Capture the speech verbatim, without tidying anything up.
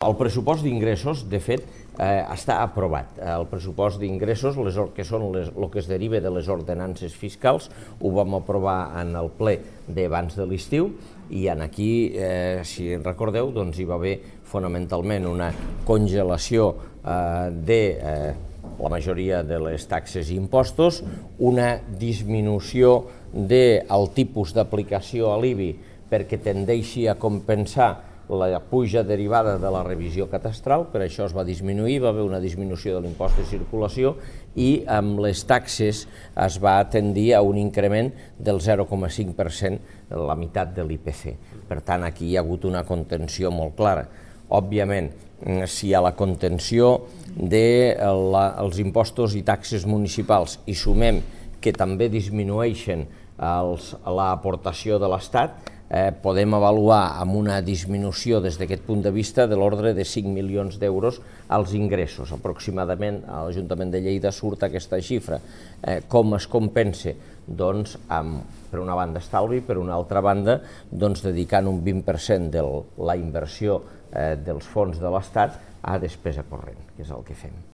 El pressupost d'ingressos, de fet, eh, està aprovat. El pressupost d'ingressos, que són les, el que es deriva de les ordenances fiscals, ho vam aprovar en el ple d'abans de l'estiu i en aquí, eh, si en recordeu, doncs hi va haver fonamentalment una congelació eh, de eh, la majoria de les taxes i impostos, una disminució del tipus d'aplicació a l'I B I perquè tendeixi a compensar la puja derivada de la revisió catastral, per això es va disminuir, va haver una disminució de l'impost de circulació i amb les taxes es va tendir a un increment del zero coma cinc per cent, la meitat de l'I P C. Per tant, aquí hi ha hagut una contenció molt clara. Òbviament, si a la contenció dels impostos i taxes municipals hi sumem que també disminueixen l'aportació de l'Estat, Eh, podem avaluar amb una disminució des d'aquest punt de vista de l'ordre de cinc milions d'euros als ingressos. Aproximadament a l'Ajuntament de Lleida surt aquesta xifra. Eh, com es compensa? Doncs amb, per una banda estalvi, per una altra banda doncs, dedicant un vint per cent de la inversió eh, dels fons de l'Estat a despesa corrent, que és el que fem.